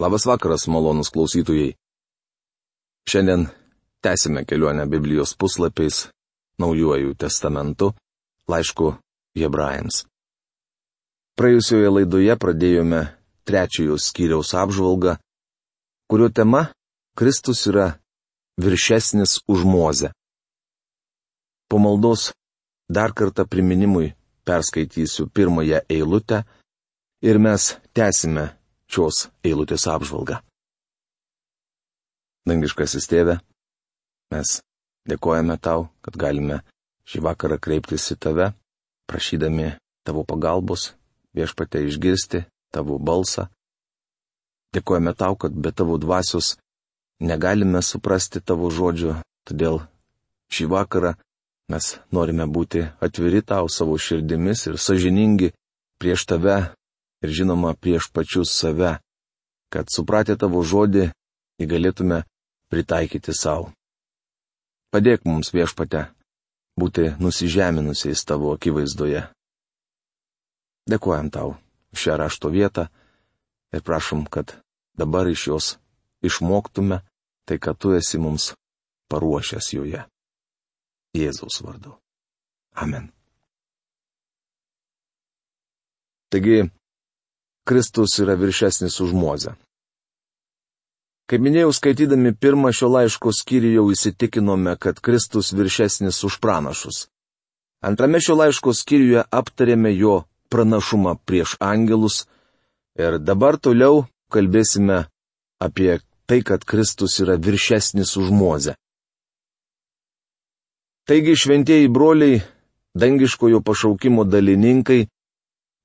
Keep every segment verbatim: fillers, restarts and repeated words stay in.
Labas vakaras, malonus klausytojai. Šiandien tęsime kelionę Biblijos puslapiais, Naujuoju testamentu, laišku Hebrajams. Praėjusioje laidoje pradėjome trečiojo skyriaus apžvalgą, kurio tema - Kristus yra viršesnis už Mozę. Po maldos dar kartą priminimui perskaitysiu pirmąją eilutę ir mes tęsime šios eilutės apžvalgą. Dangiškasis Tėve, mes dėkojame Tau, kad galime šį vakarą kreiptis į Tave, prašydami Tavo pagalbos, Viešpatie išgirsti Tavo balsą. Dėkojame Tau, kad be Tavo dvasios negalime suprasti Tavo žodžio, todėl šį vakarą mes norime būti atviri Tau savo širdimis ir sąžiningi prieš Tave ir žinoma prieš pačius save, kad supratę Tavo žodį jį galėtume pritaikyti savo. Padėk mums, Viešpate, būti nusižeminusiais Tavo akivaizdoje. Dėkojam Tau už šią rašto vietą ir prašom, kad dabar iš jos išmoktume tai, ką Tu esi mums paruošęs joje. Jėzaus vardu. Amen. Taigi, Kristus yra viršesnis už Mozę. Kaip minėjau, skaitydami pirmą šio laiško skyrių jau įsitikinome, kad Kristus viršesnis už pranašus. Antrame šio laiško skyriuje aptarėme jo pranašumą prieš angelus ir dabar toliau kalbėsime apie tai, kad Kristus yra viršesnis už Mozę. Taigi, šventieji broliai, dangiškojo pašaukimo dalininkai,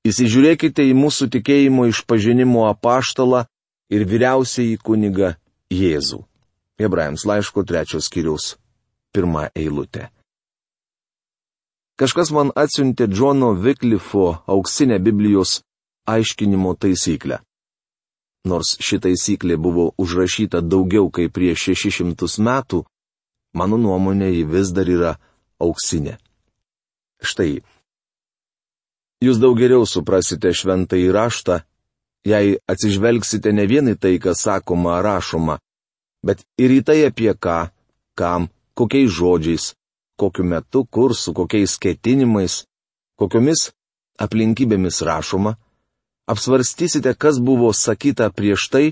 įsižiūrėkite į mūsų tikėjimo išpažinimo apaštalą ir vyriausiąjį kunigą Jėzų. Hebrajams laiško trečios skyriaus pirmą eilutę. Kažkas man atsiuntė Džono Viklifo auksinę Biblijos aiškinimo taisyklę. Nors ši taisyklė buvo užrašyta daugiau kaip prieš šešis šimtus metų, mano nuomonė ji vis dar yra auksinė. Štai. Jūs daug geriau suprasite šventąjį raštą, jei atsižvelgsite ne vien į tai, kas sakoma ar rašoma, bet ir į tai, apie ką, kam, kokiais žodžiais, kokiu metu, kur, su kokiais ketinimais, kokiomis aplinkybėmis rašoma, apsvarstysite, kas buvo sakyta prieš tai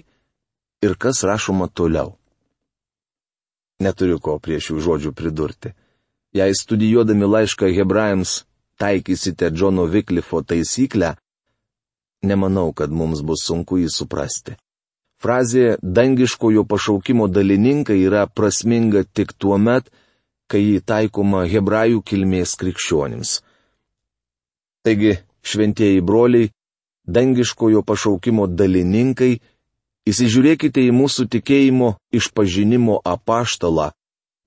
ir kas rašoma toliau. Neturiu ko prie šių žodžių pridurti. Jei studijuodami laišką Hebrajams taikysite Džono Viklifo taisyklę, nemanau, kad mums bus sunku jį suprasti. Frazė dangiškojo pašaukimo dalininkai yra prasminga tik tuo met, kai jį taikoma hebrajų kilmės krikščionims. Taigi, šventieji broliai, dangiškojo pašaukimo dalininkai, įsižiūrėkite į mūsų tikėjimo išpažinimo apaštalą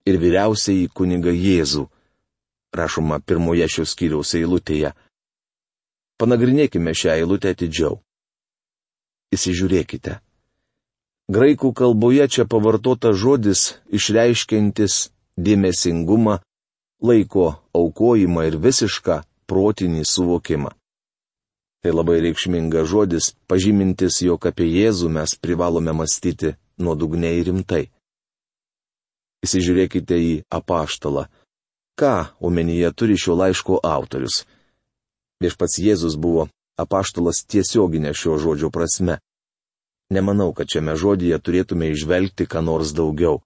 ir vyriausiąjį kunigą Jėzų. Rašoma pirmoje šios skyriaus eilutėje. Panagrinėkime šią eilutę atidžiau. Įsižiūrėkite. Graikų kalboje čia pavartota žodis išreiškiantis dėmesingumą, laiko aukojimą ir visišką protinį suvokimą. Tai labai reikšmingas žodis, pažymintis, jog apie Jėzų mes privalome mąstyti nuodugniai ir rimtai. Įsižiūrėkite į apaštalą. Ką omenyje turi šio laiško autorius? Viešpats Jėzus buvo apaštalas tiesioginė šio žodžio prasme. Nemanau, kad šiame žodyje turėtume išvelgti ką nors daugiau.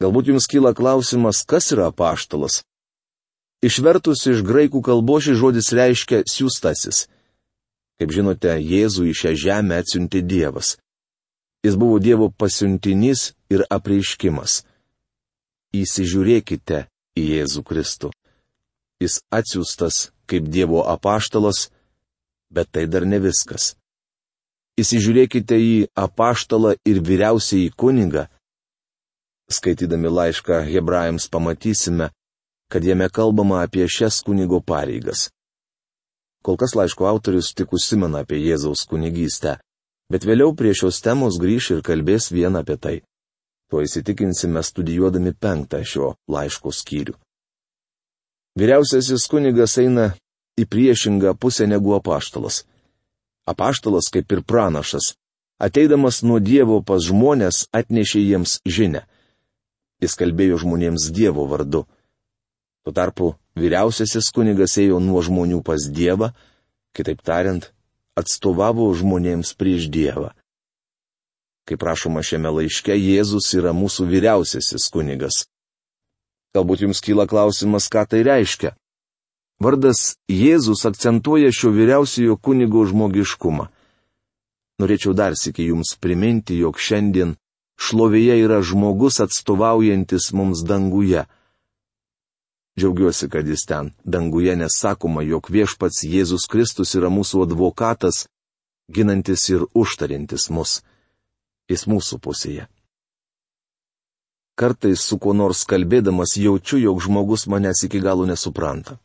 Galbūt jums kyla klausimas, kas yra apaštalas? Išvertus iš graikų kalbos šis žodis reiškia siųstasis. Kaip žinote, Jėzų į šią žemę atsiuntė Dievas. Jis buvo Dievo pasiuntinys ir apreiškimas. Įsižiūrėkite į Jėzų Kristų. Jis atsiųstas kaip Dievo apaštalas, bet tai dar ne viskas. Įsižiūrėkite į apaštalą ir vyriausiąjį kunigą. Skaitydami laišką Hebrajams pamatysime, kad jame kalbama apie šias kunigo pareigas. Kol kas laiško autorius tik užsimena apie Jėzaus kunigystę, bet vėliau prie šios temos grįš ir kalbės vien apie tai. Tuo įsitikinsime studijuodami penktą šio laiško skyrių. Vyriausiasis kunigas eina į priešingą pusę negu apaštalas. Apaštalas, kaip ir pranašas, ateidamas nuo Dievo pas žmonės, atnešė jiems žinią. Jis kalbėjo žmonėms Dievo vardu. Tuo tarpu vyriausiasis kunigas ėjo nuo žmonių pas Dievą, kitaip tariant, atstovavo žmonėms prieš Dievą. Kaip rašoma šiame laiške, Jėzus yra mūsų vyriausiasis kunigas. Galbūt jums kyla klausimas, ką tai reiškia. Vardas Jėzus akcentuoja šio vyriausiojo kunigo žmogiškumą. Norėčiau dar sykį jums priminti, jog šiandien šlovėje yra žmogus atstovaujantis mums danguje. Džiaugiuosi, kad jis ten, danguje, nes sakoma, jog viešpats Jėzus Kristus yra mūsų advokatas, ginantis ir užtarintis mus. Jis mūsų pusėje. Kartais su kuo nors kalbėdamas jaučiu, jog žmogus manęs iki galo nesupranta.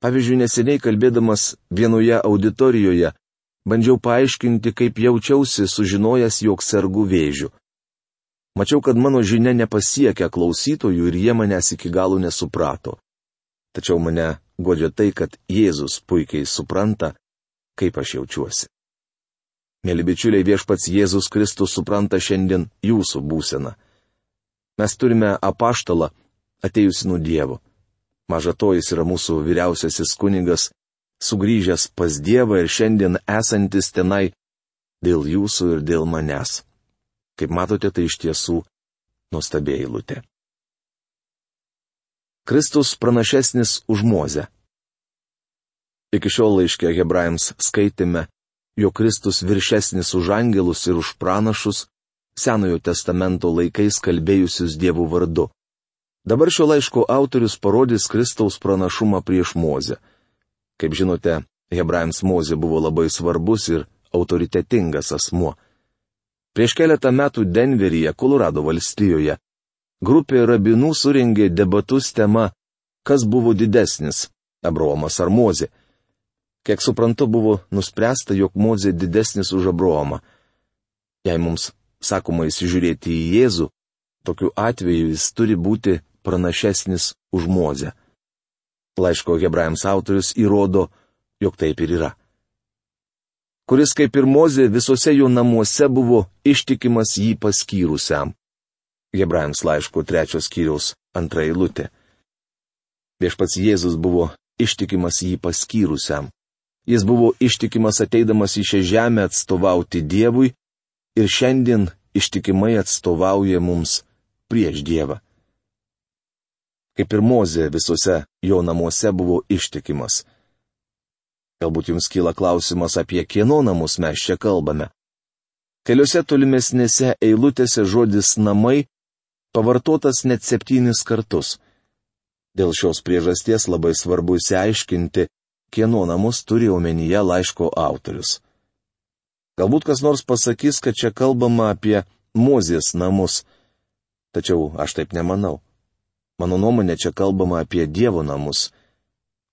Pavyzdžiui, neseniai kalbėdamas vienoje auditorijoje, bandžiau paaiškinti, kaip jaučiausi sužinojęs, jog sergu vėžiu. Mačiau, kad mano žinia nepasiekia klausytojų ir jie manęs iki galo nesuprato. Tačiau mane guodžia tai, kad Jėzus puikiai supranta, kaip aš jaučiuosi. Mėly bičiuliai, viešpats Jėzus Kristus supranta šiandien jūsų būseną. Mes turime apaštalą, atėjusi nuo Dievo. Maža to, jis yra mūsų vyriausiasis kunigas, sugrįžęs pas Dievą ir šiandien esantis tenai dėl jūsų ir dėl manęs. Kaip matote, tai iš tiesų nuostabi eilutė. Kristus pranašesnis už Mozę. Iki šiol laiške Hebrajams skaitėme, jog Kristus viršesnis už angelus ir už pranašus, Senojo testamento laikais kalbėjusius Dievo vardu. Dabar šio laiško autorius parodys Kristaus pranašumą prieš Mozę. Kaip žinote, Hebrajams Mozė buvo labai svarbus ir autoritetingas asmuo. Prieš keletą metų Denveryje, Kolorado valstijoje, grupė rabinų surengė debatus tema, kas buvo didesnis - Abraomas ar Mozė. Kiek suprantu, buvo nuspręsta, jog Mozė didesnis už Abraomą. Jei mums sakoma įsižiūrėti į Jėzų, tokiu atveju jis turi būti pranašesnis už Mozę. Laiško Hebrajams autorius įrodo, jog taip ir yra. Kuris kaip ir Mozė visose jo namuose buvo ištikimas jį paskyrusiam. Hebrajams laiško trečios skyriaus antra eilutė. Viešpats Jėzus buvo ištikimas jį paskyrusiam. Jis buvo ištikimas ateidamas į šią žemę atstovauti Dievui ir šiandien ištikimai atstovauja mums prieš Dievą. Kaip ir Mozė visose jo namuose buvo ištikimas. Galbūt jums kyla klausimas, apie kieno namus mes čia kalbame. Keliose tolimesnėse eilutėse žodis namai pavartotas net septynis kartus. Dėl šios priežasties labai svarbu išsiaiškinti, kieno namus turi omenyje laiško autorius. Galbūt kas nors pasakys, kad čia kalbama apie Mozės namus. Tačiau aš taip nemanau. Mano nuomonė, čia kalbama apie Dievo namus.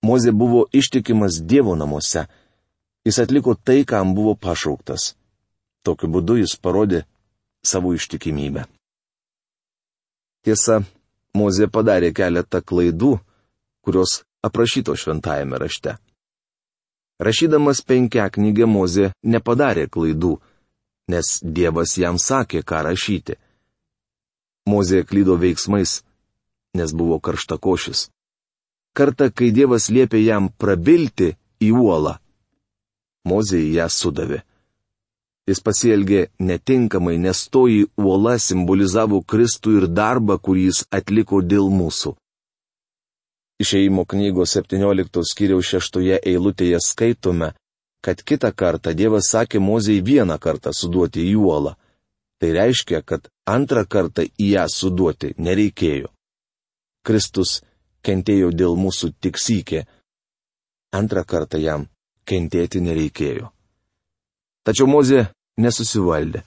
Mozė buvo ištikimas Dievo namuose. Jis atliko tai, kam buvo pašauktas. Tokiu būdu jis parodė savo ištikimybę. Tiesa, Mozė padarė keletą klaidų, kurios aprašyto šventajame rašte. Rašydamas penkiaknygę Mozė nepadarė klaidų, nes Dievas jam sakė, ką rašyti. Mozė klydo veiksmais, nes buvo karštakošis. Kartą, kai Dievas liepė jam prabilti į uolą, Mozė į ją sudavė. Jis pasielgė netinkamai, nes toji uola simbolizavo Kristų ir darbą, kurį jis atliko dėl mūsų. Išėjimo knygos septynioliktos skyriaus šeštoje eilutėje skaitome, kad kitą kartą Dievas sakė Mozei vieną kartą suduoti į uolą. Tai reiškia, kad antrą kartą į ją suduoti nereikėjo. Kristus kentėjo dėl mūsų tik sykį. Antrą kartą jam kentėti nereikėjo. Tačiau Mozė nesusivaldė.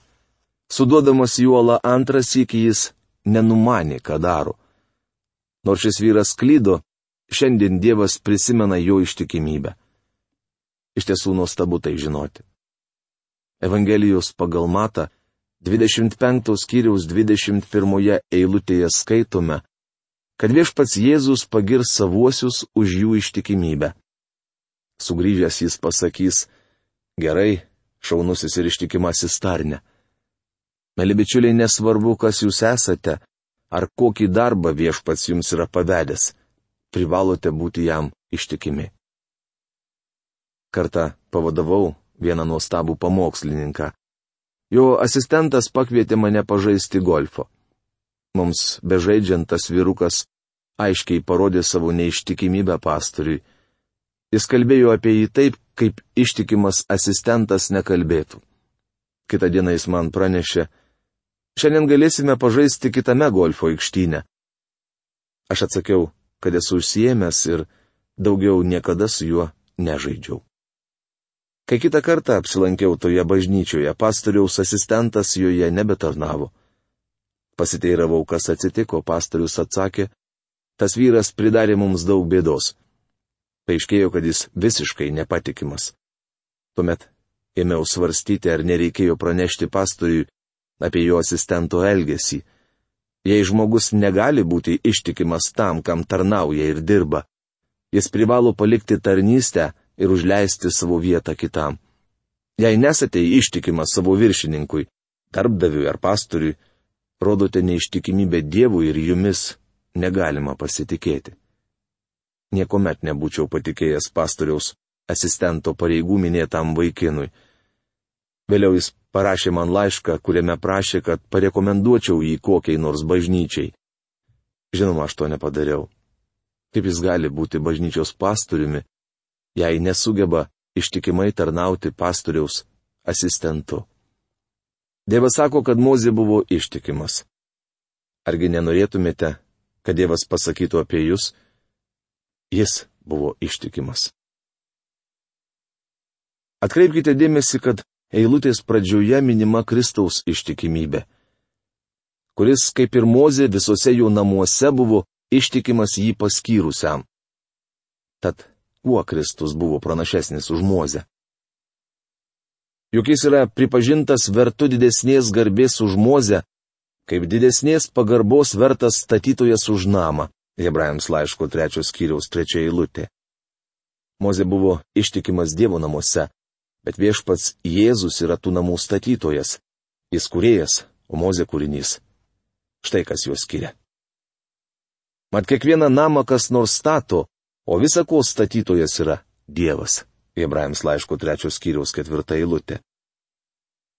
Suduodamas į uolą antrą sykį jis nenumanė, ką daro. Nors šis vyras klydo, šiandien Dievas prisimena jo ištikimybę. Iš tiesų nuostabu tai žinoti. Evangelijos pagal Matą dvidešimt penktos skyriaus dvidešimt pirmoje eilutėje skaitome, kad viešpats Jėzus pagirs savuosius už jų ištikimybę. Sugrįžęs jis pasakys, gerai, šaunusis ir ištikimasis tarne. Mėly bičiuliai, nesvarbu, kas jūs esate, ar kokį darbą viešpats jums yra pavedęs, privalote būti jam ištikimi. Kartą pavadavau vieną nuostabų pamokslininką. Jo asistentas pakvietė mane pažaisti golfo. Mums bežaidžiant tas vyrukas aiškiai parodė savo neištikimybę pastoriui. Jis kalbėjo apie jį taip, kaip ištikimas asistentas nekalbėtų. Kitą dieną jis man pranešė: šiandien galėsime pažaisti kitame golfo aikštyne. Aš atsakiau, kad esu užsiėmęs ir daugiau niekada su juo nežaidžiau. Kai kitą kartą apsilankiau toje bažnyčioje, pastoriaus asistentas joje nebetarnavo. Pasiteiravau, kas atsitiko, pastorius atsakė: tas vyras pridarė mums daug bėdos. Paaiškėjo, kad jis visiškai nepatikimas. Tuomet ėmiau svarstyti, ar nereikėjo pranešti pastoriui apie jo asistento elgesį. Jei žmogus negali būti ištikimas tam, kam tarnauja ir dirba, jis privalo palikti tarnystę ir užleisti savo vietą kitam. Jei nesate ištikimas savo viršininkui, darbdaviui ar pastoriui, rodote neištikimybę Dievui ir jumis negalima pasitikėti. Niekuomet nebūčiau patikėjęs pastoriaus asistento pareigų minėtam vaikinui. Vėliau jis parašė man laišką, kuriame prašė, kad parekomenduočiau jį kokiai nors bažnyčiai. Žinoma, aš to nepadariau. Kaip jis gali būti bažnyčios pastoriumi, jei nesugeba ištikimai tarnauti pastoriaus asistentu? Dievas sako, kad Mozė buvo ištikimas. Argi nenorėtumėte, kad Dievas pasakytų apie jūs? Jis buvo ištikimas. Atkreipkite dėmesį, kad eilutės pradžioje minima Kristaus ištikimybė, kuris, kaip ir Mozė, visose jo namuose buvo ištikimas jį paskyrusiam. Tad kuo Kristus buvo pranašesnis už Mozę? Juk jis yra pripažintas vertu didesnės garbės už Mozę, kaip didesnės pagarbos vertas statytojas už namą. Hebrajams laiško trečios skyriaus trečia eilutė. Mozė buvo ištikimas Dievo namuose, bet viešpats Jėzus yra tų namų statytojas. Jis kūrėjas, o Mozė kūrinys. Štai kas juos skiria. Mat kiekvieną namą kas nors stato, o visa ko statytojas yra Dievas. Hebrajams laiško trečios skyriaus ketvirta eilutė.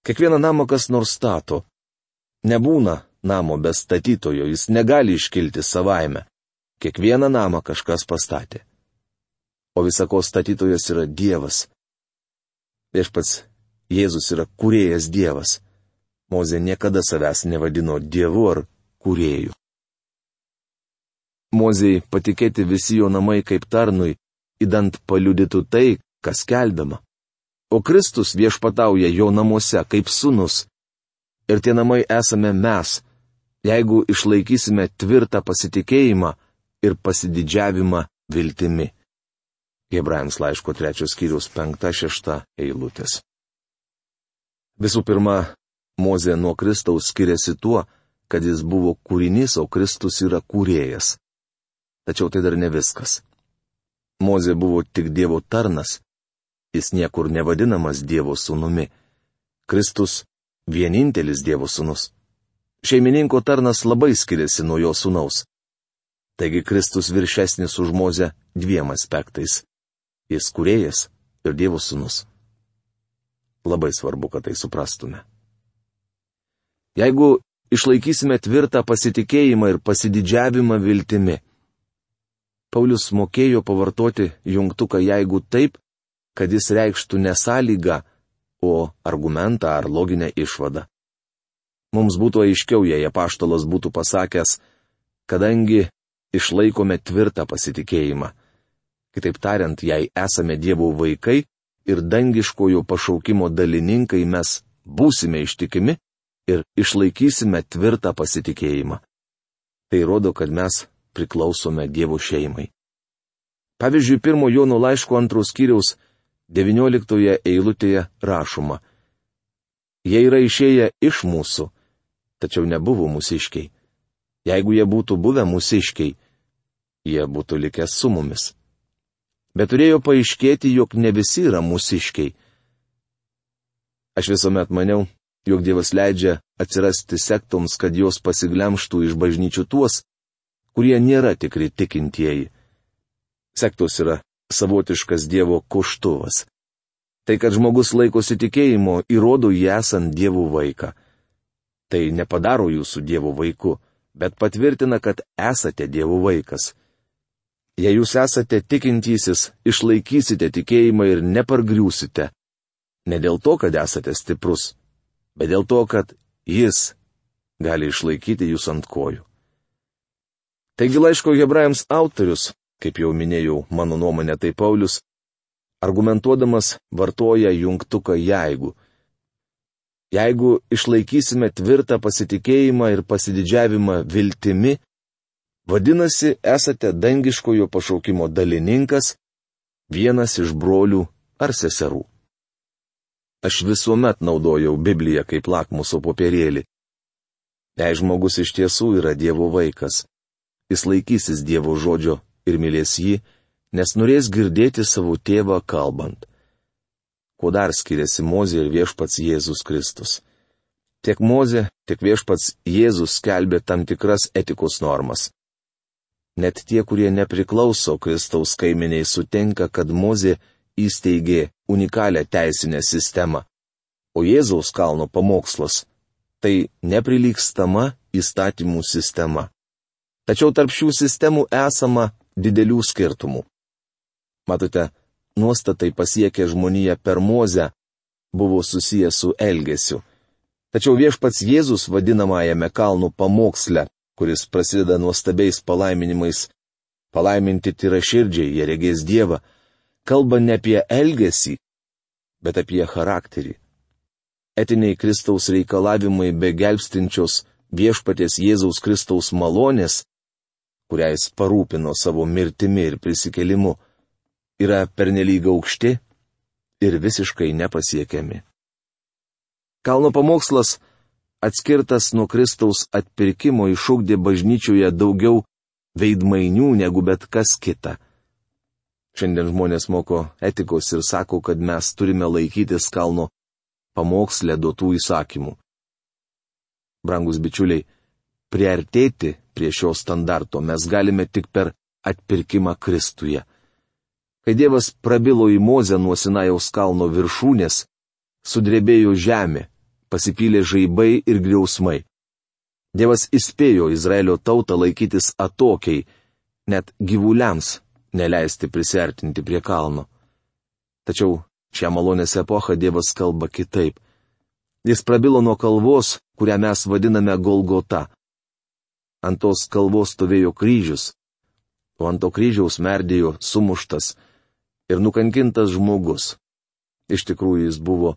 Kiekvieną namą kas nors stato. Nebūna namo be statytojo, jis negali iškilti savaime. Kiekvieną namą kažkas pastatė. O visa ko statytojas yra Dievas. Viešpats Jėzus yra kūrėjas Dievas. Mozė niekada savęs nevadino Dievu ar kūrėju. Mozei patikėti visi jo namai kaip tarnui, idant paliudytų tai, kas skelbiama. O Kristus viešpatauja jo namuose kaip sūnus. Ir tie namai esame mes, jeigu išlaikysime tvirtą pasitikėjimą ir pasididžiavimą viltimi. Hebrajams laiško trečios skyriaus penkta šešta eilutės. Visų pirma, Mozė nuo Kristaus skiriasi tuo, kad jis buvo kūrinys, o Kristus yra kūrėjas. Tačiau tai dar ne viskas. Mozė buvo tik Dievo tarnas. Jis niekur nevadinamas Dievo sūnumi. Kristus vienintelis Dievo sūnus. Šeimininko tarnas labai skiriasi nuo jo sūnaus. Taigi Kristus viršesnis už Mozę dviem aspektais. Jis kūrėjas ir Dievo sūnus. Labai svarbu, kad tai suprastume. Jeigu išlaikysime tvirtą pasitikėjimą ir pasididžiavimą viltimi. Paulius mokėjo pavartoti jungtuką jeigu taip, kad jis reikštų ne sąlygą, o argumentą ar loginę išvadą. Mums būtų aiškiau, jei apaštalas būtų pasakęs, kadangi išlaikome tvirtą pasitikėjimą. Kitaip tariant, jei esame Dievo vaikai ir dangiškojo pašaukimo dalininkai, mes būsime ištikimi ir išlaikysime tvirtą pasitikėjimą. Tai rodo, kad mes priklausome Dievo šeimai. Pavyzdžiui, pirmo Jono laiško antros skyriaus devynioliktoje eilutėje rašoma: jie yra išėję iš mūsų, tačiau nebuvo mūsiškiai. Jeigu jie būtų buvę mūsiškiai, jie būtų likę su mumis. Bet turėjo paaiškėti, jog ne visi yra mūsiškiai. Aš visuomet maniau, jog Dievas leidžia atsirasti sektoms, kad jos pasiglemštų iš bažnyčių tuos, kurie nėra tikri tikintieji. Sektos yra savotiškas Dievo koštuvas. Tai, kad žmogus laikosi tikėjimo, įrodo jį esant Dievo vaiką. Tai nepadaro jūsų Dievo vaiku, bet patvirtina, kad esate Dievo vaikas. Jei jūs esate tikintysis, išlaikysite tikėjimą ir nepargriūsite. Ne dėl to, kad esate stiprus, bet dėl to, kad Jis gali išlaikyti jūs ant kojų. Taigi laiško Hebrajams autorius, kaip jau minėjau, mano nuomonė tai Paulius, argumentuodamas vartoja jungtuką jeigu. Jeigu išlaikysime tvirtą pasitikėjimą ir pasididžiavimą viltimi, vadinasi, esate dangiškojo pašaukimo dalininkas, vienas iš brolių ar seserų. Aš visuomet naudojau Bibliją kaip lakmuso popierėlį. Jei žmogus iš tiesų yra Dievo vaikas, jis laikysis Dievo žodžio ir mylės jį, nes norės girdėti savo tėvą kalbant. Kuo dar skiriasi Mozė ir viešpats Jėzus Kristus? Tiek Mozė, tiek viešpats Jėzus skelbė tam tikras etikos normas. Net tie, kurie nepriklauso Kristaus kaiminiai, sutinka, kad Mozė įsteigė unikalią teisinę sistemą, o Jėzaus kalno pamokslas - tai neprilygstama įstatymų sistema. Tačiau tarp šių sistemų esama didelių skirtumų. Matote, nuostatai pasiekę žmoniją per Mozę buvo susijęs su elgesiu. Tačiau viešpats Jėzus vadinamajame kalnų pamoksle, kuris prasideda nuostabiais palaiminimais, palaiminti tyraširdžiai, jie regės Dievą, kalba ne apie elgesį, bet apie charakterį. Etiniai Kristaus reikalavimai be gelbstinčios viešpaties Jėzaus Kristaus malonės, kurią jis parūpino savo mirtimi ir prisikėlimu, yra pernelyg aukšti ir visiškai nepasiekiami. Kalno pamokslas, atskirtas nuo Kristaus atpirkimo, išugdė bažnyčioje daugiau veidmainių negu bet kas kita. Šiandien žmonės moko etikos ir sako, kad mes turime laikytis kalno pamoksle duotų įsakymų. Brangus bičiuliai, priartėti prie šio standarto mes galime tik per atpirkimą Kristuje. Kai Dievas prabilo į Mozę nuo Sinajaus kalno viršūnės, sudrebėjo žemė, pasipylė žaibai ir griausmai. Dievas įspėjo Izraelio tautą laikytis atokiai, net gyvuliams neleisti prisiartinti prie kalno. Tačiau šią malonės epochą Dievas kalba kitaip. Jis prabilo nuo kalvos, kurią mes vadiname Golgota. Ant tos kalvos stovėjo kryžius, o ant to kryžiaus merdėjo sumuštas ir nukankintas žmogus. Iš tikrųjų jis buvo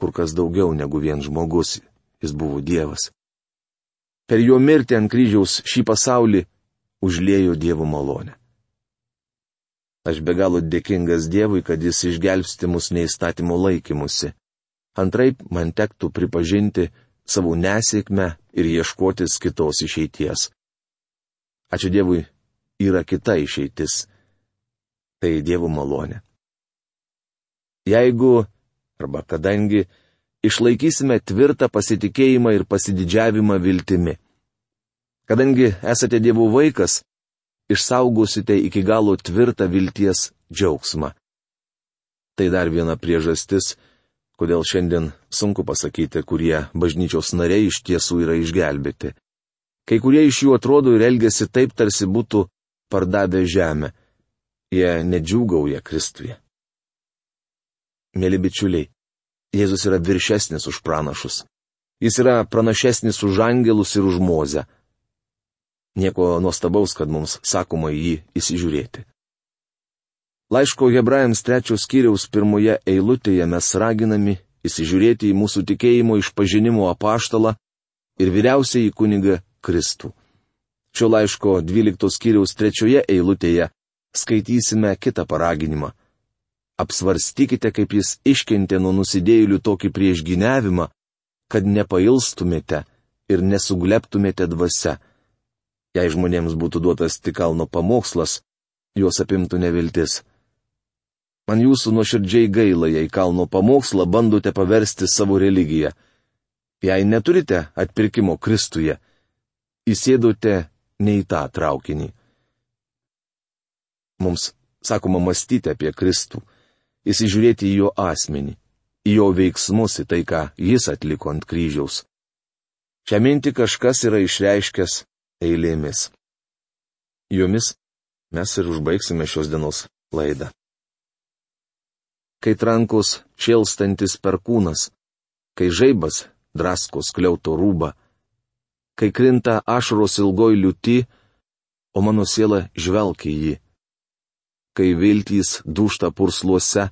kur kas daugiau negu vien žmogus, jis buvo Dievas. Per jo mirtį ant kryžiaus šį pasaulį užliejo Dievo malonę. Aš be galo dėkingas Dievui, kad jis išgelbsti mus neįstatymo laikymusi. Antraip man tektų pripažinti savo nesėkmę ir ieškotis kitos išeities. Ačiū Dievui, yra kita išeitis. Tai Dievo malonė. Jeigu, arba kadangi, išlaikysime tvirtą pasitikėjimą ir pasididžiavimą viltimi. Kadangi esate Dievo vaikas, išsaugosite iki galo tvirtą vilties džiaugsmą. Tai dar viena priežastis, kodėl šiandien sunku pasakyti, kurie bažnyčios nariai iš tiesų yra išgelbėti. Kai kurie iš jų atrodo ir elgesi taip, tarsi būtų pardavę žemę. Jie nedžiūgauja Kristuje. Mėly bičiuliai, Jėzus yra viršesnis už pranašus. Jis yra pranašesnis už angelus ir už Mozę. Nieko nuostabaus, kad mums sakoma į jį įsižiūrėti. Laiško Hebrajams trečios skyriaus pirmoje eilutėje mes raginami įsižiūrėti į mūsų tikėjimo išpažinimo apaštalą ir vyriausiąjį kunigą Kristų. Šio laiško dvyliktos skyriaus trečioje eilutėje skaitysime kitą paraginimą. Apsvarstykite, kaip jis iškentė nuo nusidėjėlių tokį priešgyniavimą, kad nepailstumėte ir nesugleptumėte dvasia. Jei žmonėms būtų duotas tik kalno pamokslas, juos apimtų neviltis. Man jūsų nuoširdžiai gaila, jei kalno pamokslą bandote paversti savo religiją. Jei neturite atpirkimo Kristuje, įsėdote ne į tą traukinį. Mums sakoma mąstyti apie Kristų, įsižiūrėti į jo asmenį, į jo veiksmus, į tai, ką jis atliko ant kryžiaus. Šią mintį kažkas yra išreiškęs eilėmis. Jomis mes ir užbaigsime šios dienos laidą. Kai trankos šėlstantis perkūnas, kai žaibas drasko skliauto rūbą, kai krinta ašaros ilgoj liūty, o mano siela žvelgia į jį, kai viltys dūžta pursluose,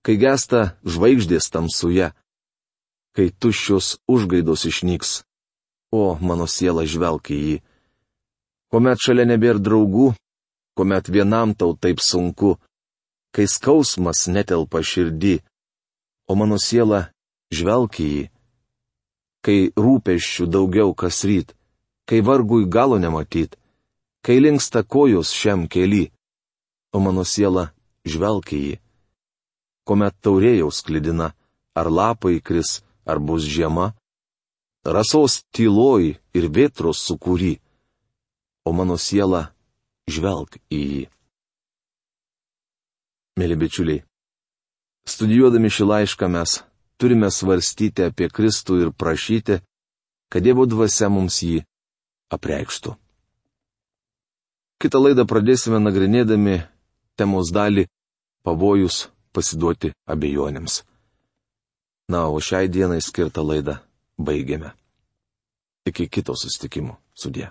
kai gesta žvaigždės tamsuje, kai tuščios užgaidos išnyks, o mano siela žvelgia į jį. Kuomet šalia nebėra draugų, kuomet vienam tau taip sunku, kai skausmas netelpa širdį, o mano siela žvelgia į jį, kai rūpesčių daugiau kas ryt, kai vargui galo nematyt, kai linksta kojos šiam kely, o mano siela žvelgia į jį. Kuomet taurėjau sklidina, ar lapai kris, ar bus žiema, rasos tyloj ir vėtros sukūry, o mano siela žvelg į jį. Mėly bičiuliai, studijuodami šį laišką mes turime svarstyti apie Kristų ir prašyti, kad Dievo dvasia mums jį apreikštų. Kitą laidą pradėsime nagrinėdami temos dalį pavojus pasiduoti abejonėms. Na, o šiai dienai skirtą laidą baigiame. Iki kito susitikimo. Sudie.